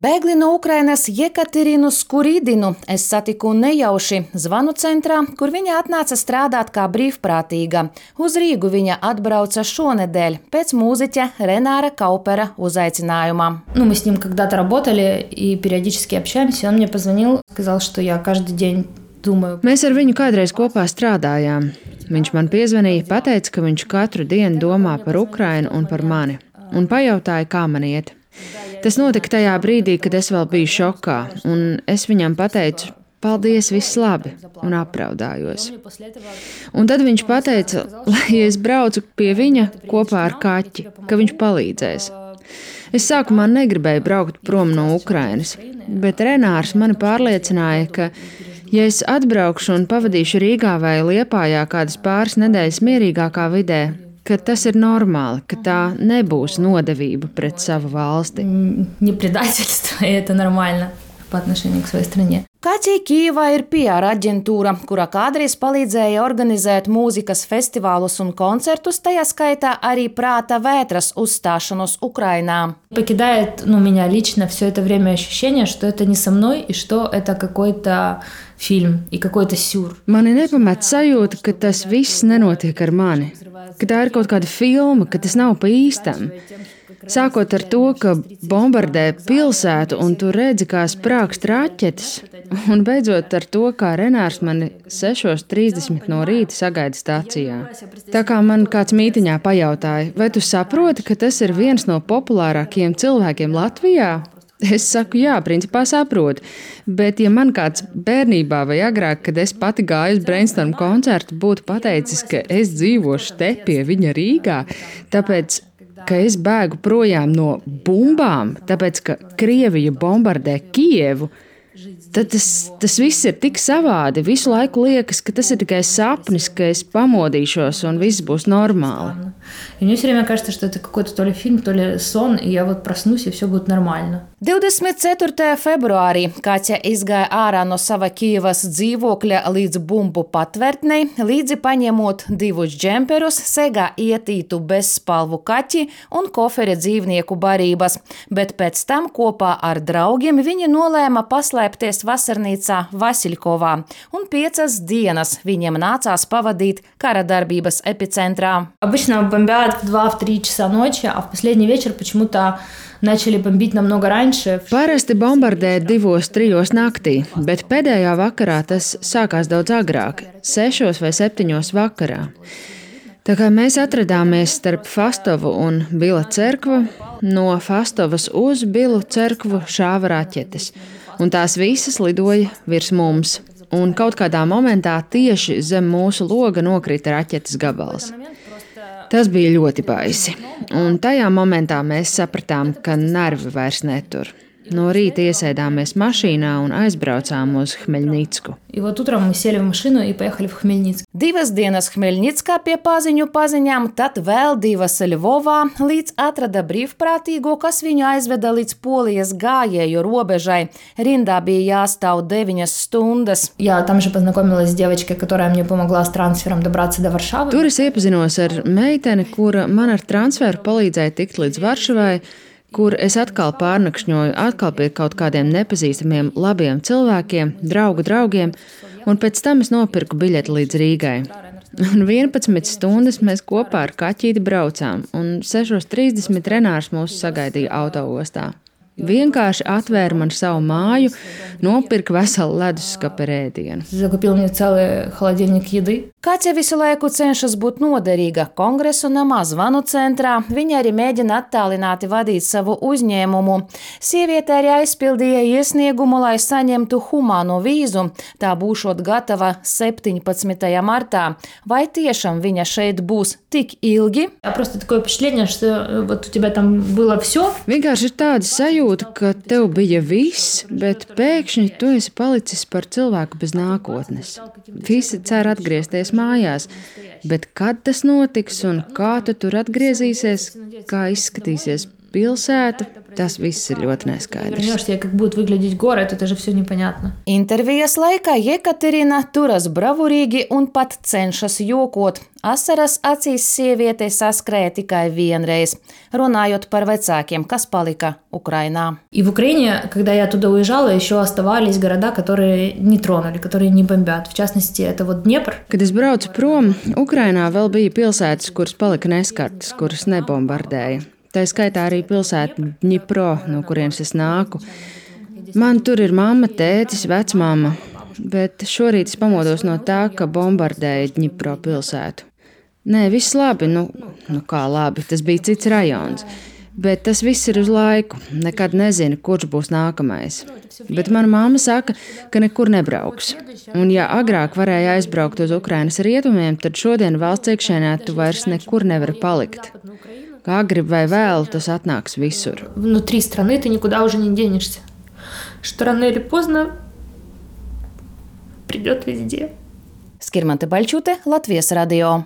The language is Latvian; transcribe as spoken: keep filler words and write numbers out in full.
Bēgli no Ukrainas Jekaterinu Skuridinu es satiku nejauši zvanu centrā, kur viņa atnāca strādāt kā brīvprātīga. Uz Rīgu viņa atbrauca šonedēļ pēc mūziķa Renāra Kaupera uzaicinājuma. Ну, мы с ним когда-то работали и периодически общаемся. Он мне позвонил, сказал, что я каждый день думаю. Mēs ar viņu kādreiz kopā strādājām. Viņš man piezvanīja, pateica, ka viņš katru dienu domā par Ukrainu un par mani, un pajautāja, kā man iet. Tas notika tajā brīdī, kad es vēl biju šokā, un es viņam pateicu, paldies, viss labi, un apraudājos. Un tad viņš pateica, lai es braucu pie viņa kopā ar kaķi, ka viņš palīdzēs. Es sākumā negribēju braukt prom no Ukrainas, bet Renārs mani pārliecināja, ka, ja es atbraukšu un pavadīšu Rīgā vai Liepājā kādas pāris nedēļas mierīgākā vidē, ka tas ir normāli, ka tā nebūs nodevība pret savu valsti. Не предательство, и это нормально по отношению к своей стране. Kaķī Kijevā ir P R aģentūra, kura kādreiz palīdzēja organizēt mūzikas festivālus un koncertus, tajā skaitā arī Prāta vētras uzstāšanos Ukrainā. Покидает, ну, меня лично все это время ощущение, что это не со мной и что это какой-то фильм и какой-то сюр. Mani nepamet sajūta, ka tas viss nenotiek ar mani, ka tā ir kaut kāda filma, ka tas nav pa īstam. Sākot ar to, ka bombardē pilsētu un tu redzi, kā sprākst raķetes, un beidzot ar to, kā Renārs mani sešos trīsdesmit no rīta sagaida stācijā. Tā kā man kāds mītiņā pajautāja, vai tu saproti, ka tas ir viens no populārākajiem cilvēkiem Latvijā? Es saku, jā, principā saprotu, bet ja man kāds bērnībā vai agrāk, kad es pati gāju uz Brainstorm koncertu, būtu pateicis, ka es dzīvošu te pie viņa Rīgā, tāpēc ka es bēgu projām no bumbām, tāpēc, ka Krievija bombardē Kijevu, tad tas, tas viss ir tik savādi. Visu laiku liekas, ka tas ir tikai sapnis, ka es pamodīšos un viss būs normāli. И мне все время кажется, что это какой-то то ли фильм, то ли сон, и я вот проснусь, и все будет нормально. divdesmit ceturtajā februārī Kaķa izgāja ārā no sava Kijevas dzīvokļa līdz bumbu patvērtnei, līdzi paņemot divus džemperus, segā ietītu bezspalvu kaķi un koferi dzīvnieku barības, bet pēc tam kopā ar draugiem viņa nolēma paslēpties vasarnīcā Vasiļkovā, un piecas dienas viņiem nācās pavadīt kara darbības epicentrā. Обычно бомбят в два-три часа ночи, а в последний вечер почему-то начали бомбить намного раньше. Parasti bombardē divos, trijos naktī, bet pēdējā vakarā tas sākās daudz agrāk, sešos vai septiņos vakarā. Tā kā mēs atradāmies starp Fastovu un Bila cerkvu, no Fastovas uz Bilu cerkvu šāva raķetes, un tās visas lidoja virs mums, un kaut kādā momentā tieši zem mūsu loga nokrita raķetes gabals. Tas bija ļoti baisi, un tajā momentā mēs sapratām, ka nervi vairs netur. No rīta iesēdāmies mašīnā un aizbraucām uz Hmeļnicku. И вот утром мы сели в машину и поехали в Хмельницк. Divas dienas Hmeļnickā pie paziņu paziņām, tad vēl divas Ļvovā, līdz atrada brīvprātīgo, kas viņu aizveda līdz Polijas gājēju robežai. Rindā bija jāstāv deviņas stundas. Я там же познакомилась с девочкой, которая мне помогла с трансфером добраться до Варшавы. Tur es iepazinos ar meiteni, kura man ar transferu palīdzēja tikt līdz Varšavai, kur es atkal pārnakšņoju atkal pie kaut kādiem nepazīstamiem labiem cilvēkiem, draugu draugiem, un pēc tam es nopirku biļeti līdz Rīgai. Un vienpadsmit stundas mēs kopā ar kaķīti braucām, un sešos trīsdesmit Renārs mūs sagaidīja autoostā. Vienkārši atvēra man savu māju, nopirka veselu leduskapi ar ēdienu. Закупил мне целый холодильник еды. Kaķa visu laiku cenšas būt noderīga Kongresu namā zvanu centrā. Viņa arī mēģina attālināti vadīt savu uzņēmumu. Sieviete arī aizpildīja iesniegumu, lai saņemtu humāno vīzu. Tā būšot gatava septiņpadsmitajā martā. Vai tiešām viņa šeit būs tik ilgi? Просто такое впечатление, что вот у тебя там было все. Vienkārši ir tāda sajūta, ka tev bija viss, bet pēkšņi tu esi palicis par cilvēku bez nākotnes. Visi cer atgriezties mājās, bet kad tas notiks un kā tu tur atgriezīsies, kā izskatīsies, pilsēta, tas viss ir ļoti neskaidrs. Вернешься, как будет выглядеть город, это же все непонятно. Intervijas laikā Jekaterina turas bravurīgi un pat cenšas jokot. Asaras acīs sieviete saskrēja tikai vienreiz, runājot par vecākiem, kas palika Ukrainā. И в Украине, когда я туда уезжала, еще оставались города, которые не тронули, которые не бомбят. В частности, это вот Днепр. Kad es braucu prom, Ukrainā vēl bija pilsētas, kuras palika neskartas, kuras nebombardēja. Tā skaitā arī pilsēta Dņipro, no kurienes es nāku. Man tur ir mamma, tētis, vecmāma, bet šorīt es pamodos no tā, ka bombardēja Dņipro pilsētu. Nē, viss labi, nu, nu kā labi, tas bija cits rajons, bet tas viss ir uz laiku, nekad nezinu, kurš būs nākamais. Bet mana mamma saka, ka nekur nebrauks. Un ja agrāk varēja aizbraukt uz Ukrainas rietumiem, tad šodien valsts iekšēnē tu vairs nekur nevari palikt. Kā grib vai vēl, tas atnāks visur. Внутри страны ты никуда уже не денешься. Что рано или поздно придет везде. Skirmante Baļķute, Latvijas radio.